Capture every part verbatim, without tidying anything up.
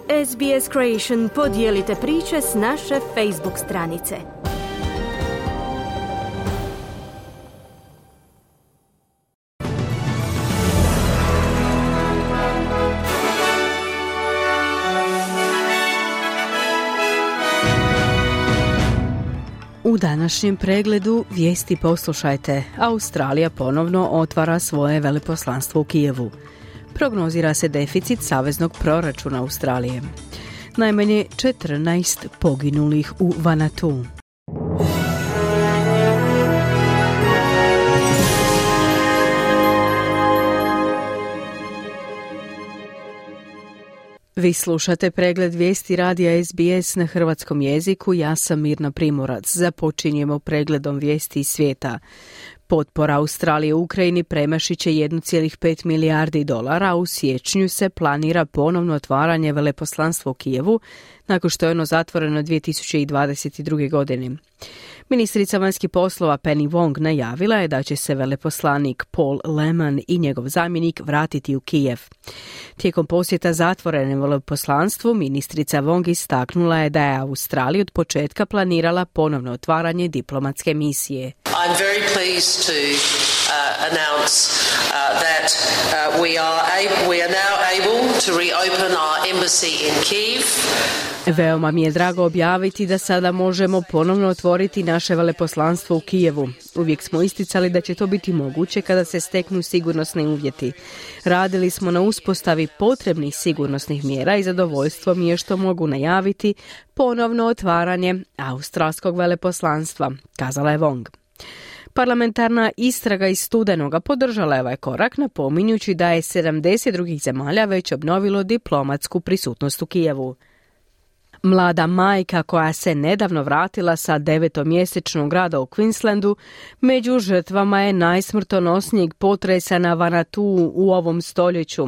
S B S Creation podijelite priče s naše Facebook stranice. U današnjem pregledu vijesti poslušajte. Australija ponovno otvara svoje veleposlanstvo u Kijevu. Prognozira se deficit saveznog proračuna Australije. Najmanje četrnaest poginulih u Vanuatu. Vi slušate pregled vijesti radija S B S na hrvatskom jeziku. Ja sam Mirna Primorac. Započinjemo pregledom vijesti iz svijeta. Potpora Australije u Ukrajini premašit će jedan zarez pet milijardi dolara, a u siječnju se planira ponovno otvaranje veleposlanstva u Kijevu, nakon što je ono zatvoreno dvije tisuće dvadeset druge. godine. Ministrica vanjskih poslova Penny Wong najavila je da će se veleposlanik Paul Lehman i njegov zamjenik vratiti u Kijev. Tijekom posjeta zatvorenom veleposlanstvu, ministrica Wong istaknula je da je Australija od početka planirala ponovno otvaranje diplomatske misije. I'm very pleased to uh, announce uh, that uh, we are able, we are now able to reopen our embassy in Kyiv. Veoma mi je drago objaviti da sada možemo ponovno otvoriti naše veleposlanstvo u Kijevu. Uvijek smo isticali da će to biti moguće kada se steknu sigurnosni uvjeti. Radili smo na uspostavi potrebnih sigurnosnih mjera i zadovoljstvo mi je što mogu najaviti ponovno otvaranje australskog veleposlanstva, kazala je Wong. Parlamentarna istraga iz studenoga podržala je ovaj korak, napominjući da je sedamdeset drugih zemalja već obnovilo diplomatsku prisutnost u Kijevu. Mlada majka koja se nedavno vratila sa devetomjesečnog rada u Queenslandu među žrtvama je najsmrtonosnijeg potresa na Vanuatu u ovom stoljeću.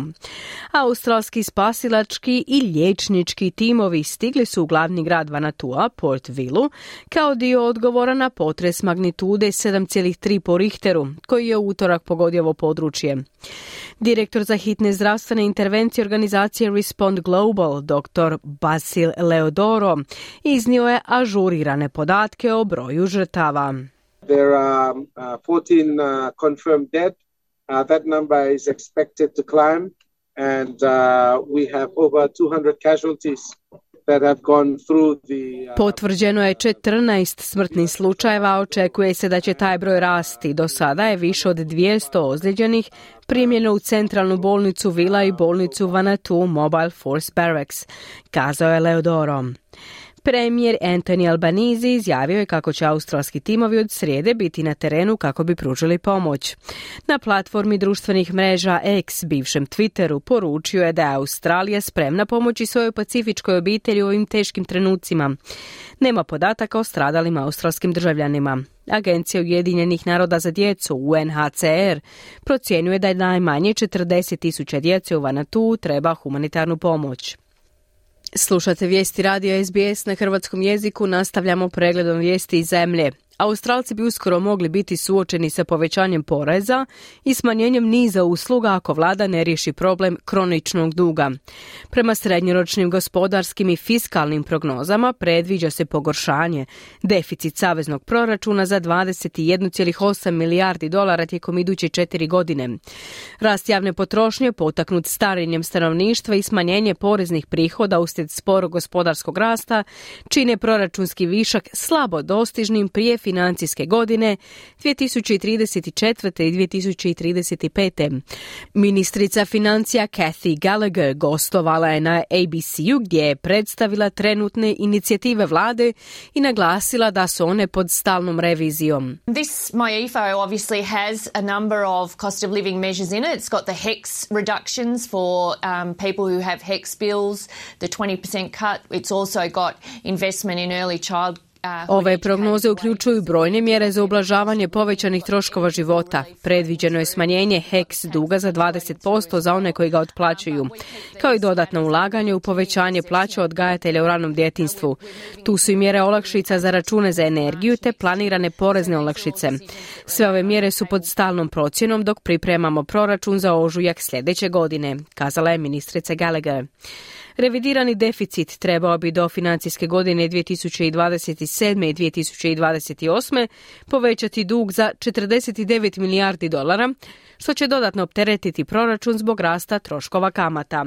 Australski spasilački i liječnički timovi stigli su u glavni grad Vanuatua, Port Vilu, kao dio odgovora na potres magnitude sedam zarez tri po Richteru, koji je u utorak pogodio ovo područje. Direktor za hitne zdravstvene intervencije organizacije Respond Global, dr. Basil Leodoro, iznio je ažurirane podatke o broju žrtava. There are uh, fourteen uh, confirmed dead. Uh, that number is expected to climb, and uh, we have over two hundred casualties that have gone through the, uh... Potvrđeno je četrnaest smrtnih slučajeva, očekuje se da će taj broj rasti. Do sada je više od dvjesto ozlijeđenih primljeno u centralnu bolnicu Vila i bolnicu Vanuatu Mobile Force Barracks, kazao je Leodoro. Premijer Anthony Albanese izjavio je kako će australski timovi od srijede biti na terenu kako bi pružili pomoć. Na platformi društvenih mreža X, bivšem Twitteru, poručio je da je Australija spremna pomoći svojoj pacifičkoj obitelji u ovim teškim trenucima. Nema podataka o stradalim australskim državljanima. Agencija Ujedinjenih naroda za djecu, U N H C R, procjenjuje da je najmanje četrdeset tisuća djece u Vanuatu treba humanitarnu pomoć. Slušate vijesti radija S B S na hrvatskom jeziku, nastavljamo pregledom vijesti iz zemlje. Australci bi uskoro mogli biti suočeni sa povećanjem poreza i smanjenjem niza usluga ako vlada ne riješi problem kroničnog duga. Prema srednjoročnim gospodarskim i fiskalnim prognozama predviđa se pogoršanje. Deficit saveznog proračuna za dvadeset jedan zarez osam milijardi dolara tijekom iduće četiri godine. Rast javne potrošnje potaknut starenjem stanovništva i smanjenje poreznih prihoda uslijed sporog gospodarskog rasta čine proračunski višak slabo dostižnim prije financijske godine dvije tisuće trideset četvrte i dvije tisuće trideset pete. Ministrica financija Cathy Gallagher gostovala je na A B C-u gdje je predstavila trenutne inicijative vlade i naglasila da su one pod stalnom revizijom. This M Y E F O obviously has a number of cost of living measures in it. It's got the HECS reductions for um, people who have HECS bills, the twenty percent cut. It's also got investment in early child. Ove prognoze uključuju brojne mjere za ublažavanje povećanih troškova života. Predviđeno je smanjenje HECS duga za dvadeset posto za one koji ga otplaćuju, kao i dodatno ulaganje u povećanje plaća odgajatelja u ranom djetinjstvu. Tu su i mjere olakšica za račune za energiju te planirane porezne olakšice. Sve ove mjere su pod stalnom procjenom dok pripremamo proračun za ožujak sljedeće godine, kazala je ministrica Gallagher. Revidirani deficit trebao bi do financijske godine dvije tisuće dvadeset sedme i dvije tisuće dvadeset osme povećati dug za četrdeset devet milijardi dolara, što će dodatno opteretiti proračun zbog rasta troškova kamata.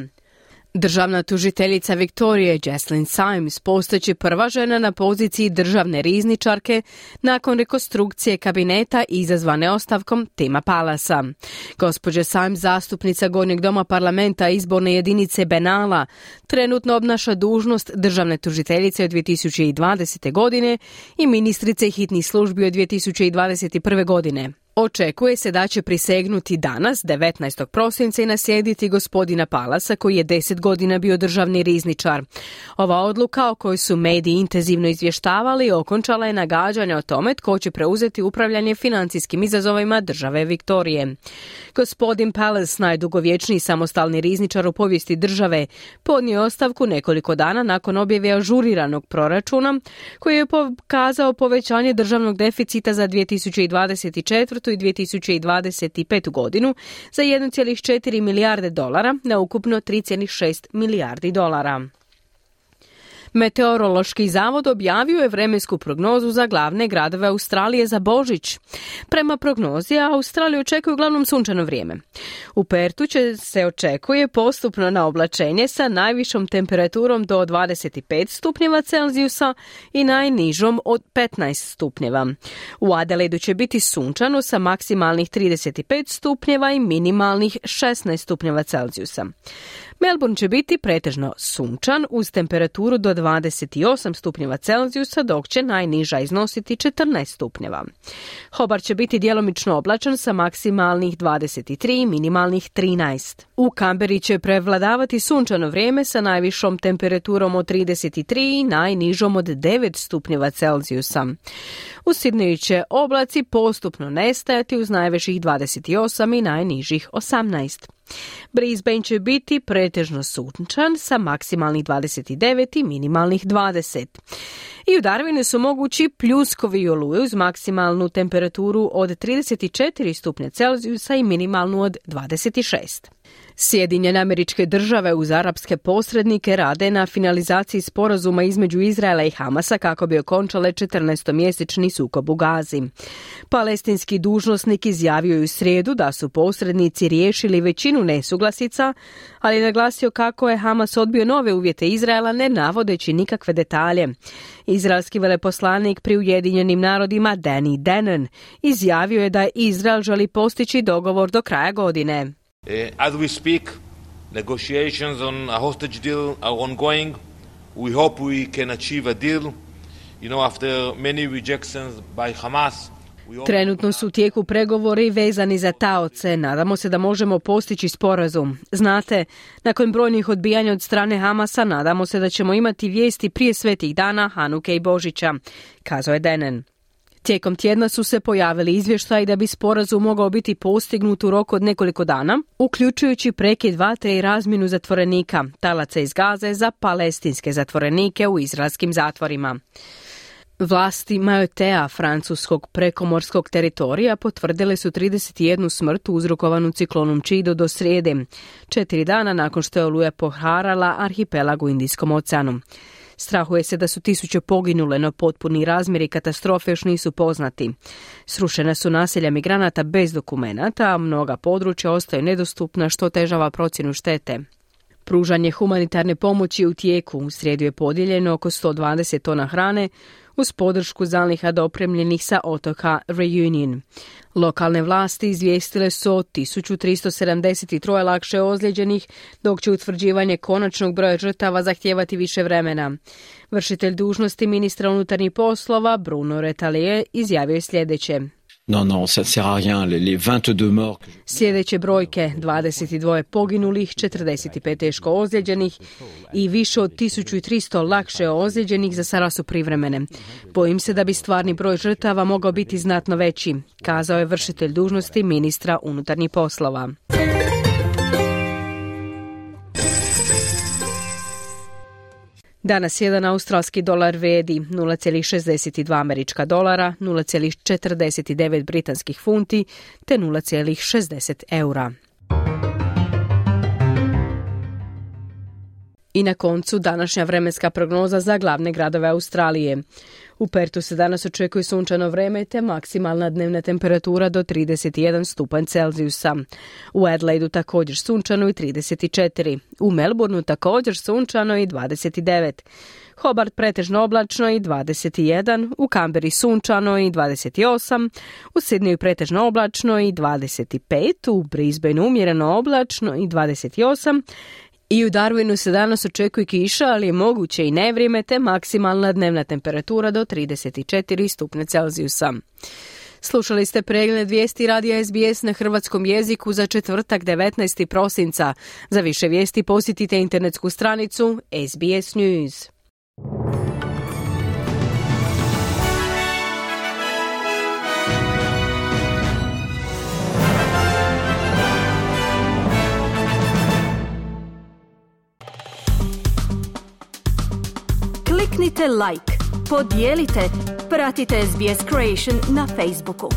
Državna tužiteljica Viktorije Jocelyn Symes postaće prva žena na poziciji državne rizničarke nakon rekonstrukcije kabineta izazvane ostavkom Tima Palasa. Gospođa Symes, zastupnica Gornjeg doma parlamenta izborne jedinice Benala, trenutno obnaša dužnost državne tužiteljice od dvije tisuće dvadesete godine i ministrice hitnih službi od dvije tisuće dvadeset prve godine. Očekuje se da će prisegnuti danas, devetnaestog prosinca, i naslijediti gospodina Palasa, koji je deset godina bio državni rizničar. Ova odluka, o kojoj su mediji intenzivno izvještavali, okončala je nagađanja o tome tko će preuzeti upravljanje financijskim izazovima države Viktorije. Gospodin Pallas, najdugovječniji samostalni rizničar u povijesti države, podnio ostavku nekoliko dana nakon objave ažuriranog proračuna, koji je pokazao povećanje državnog deficita za dvije tisuće dvadeset četvrtu i dvije tisuće dvadeset petu godinu za jedan zarez četiri milijarde dolara na ukupno tri zarez šest milijardi dolara. Meteorološki zavod objavio je vremensku prognozu za glavne gradove Australije za Božić. Prema prognozi, Australiju očekuje uglavnom sunčano vrijeme. U Pertu će se očekuje postupno na oblačenje sa najvišom temperaturom do dvadeset pet stupnjeva Celzijusa i najnižom od petnaest stupnjeva. U Adelaidu će biti sunčano sa maksimalnih trideset pet stupnjeva i minimalnih šesnaest stupnjeva Celzijusa. Melbourne će biti pretežno sunčan uz temperaturu do dvadeset osam stupnjeva Celzijusa, dok će najniža iznositi četrnaest stupnjeva. Hobart će biti djelomično oblačan sa maksimalnih dvadeset tri i minimalnih trinaest. U Kamberi će prevladavati sunčano vrijeme sa najvišom temperaturom od trideset tri i najnižom od devet stupnjeva Celzijusa. U Sidneju će oblaci postupno nestajati uz najviših dvadeset osam i najnižih osamnaest. Brisbane će biti pretežno sunčan sa maksimalnih dvadeset devet i minimalnih dvadeset. I u Darwinu su mogući pljuskovi i oluje uz maksimalnu temperaturu od trideset četiri stupnja Celzijusa i minimalnu od dvadeset šest. Sjedinjene Američke Države uz arapske posrednike rade na finalizaciji sporazuma između Izraela i Hamasa kako bi okončale četrnaestomjesečni sukob u Gazi. Palestinski dužnosnik izjavio je u srijedu da su posrednici riješili većinu nesuglasica, ali je naglasio kako je Hamas odbio nove uvjete Izraela ne navodeći nikakve detalje. Izraelski veleposlanik pri Ujedinjenim narodima Danny Danon izjavio je da Izrael želi postići dogovor do kraja godine. Uh, as we speak, negotiations on a hostage deal are ongoing. We hope we can achieve a deal. You know, after many rejections by Hamas. Trenutno su u tijeku pregovori vezani za taoce. Nadamo se da možemo postići sporazum. Znate, nakon brojnih odbijanja od strane Hamasa, nadamo se da ćemo imati vijesti prije svetih dana, Hanuke i Božića, kazao je Danon. Tijekom tjedna su se pojavili izvještaji da bi sporazum mogao biti postignut u roku od nekoliko dana, uključujući prekid vatre i razmjenu zatvorenika, talaca iz Gaze za palestinske zatvorenike u izraelskim zatvorima. Vlasti Mayotea, francuskog prekomorskog teritorija, potvrdile su trideset jednu smrt uzrokovanu ciklonom Chido do srijede, četiri dana nakon što je oluja poharala arhipelag u Indijskom oceanu. Strahuje se da su tisuće poginule, no potpuni razmjeri katastrofe još nisu poznati. Srušena su naselja migranata bez dokumenata, a mnoga područja ostaju nedostupna, što otežava procjenu štete. Pružanje humanitarne pomoći u tijeku. U srijedu je podijeljeno oko sto dvadeset tona hrane uz podršku zaliha dopremljenih sa otoka Reunion. Lokalne vlasti izvijestile su o tisuću tristo sedamdeset tri lakše ozlijeđenih, dok će utvrđivanje konačnog broja žrtava zahtijevati više vremena. Vršitelj dužnosti ministra unutarnjih poslova Bruno Retailleau izjavio je sljedeće. Non, non, ça ne sert à rien. Les, les vingt-deux morts. Sljedeće brojke, dvadeset dva poginulih, četrdeset pet teško ozlijeđenih i više od tisuću tristo lakše ozlijeđenih za sada su privremene. Bojim se da bi stvarni broj žrtava mogao biti znatno veći, kazao je vršitelj dužnosti ministra unutarnjih poslova. Danas jedan australski dolar vrijedi nula zarez šezdeset dva američka dolara, nula zarez četrdeset devet britanskih funti te nula zarez šezdeset eura. I na koncu današnja vremenska prognoza za glavne gradove Australije. U Pertu se danas očekuje sunčano vreme te maksimalna dnevna temperatura do trideset jedan stupanj Celzijusa. U Adelaidu također sunčano i trideset četiri. U Melbourneu također sunčano i dvadeset devet. Hobart pretežno oblačno i dvadeset jedan, u Kamberi sunčano i dvadeset osam, u Sidneju pretežno oblačno i dvadeset pet, u Brisbaneu umjereno oblačno i dvadeset osam, i u Darwinu se danas očekuje kiša, ali je moguće i nevrijeme te maksimalna dnevna temperatura do trideset četiri stupnja Celzijusa. Slušali ste pregled vijesti radija S B S na hrvatskom jeziku za četvrtak devetnaestog prosinca. Za više vijesti posjetite internetsku stranicu S B S News. Kliknite like, podijelite, pratite S B S Creation na Facebooku.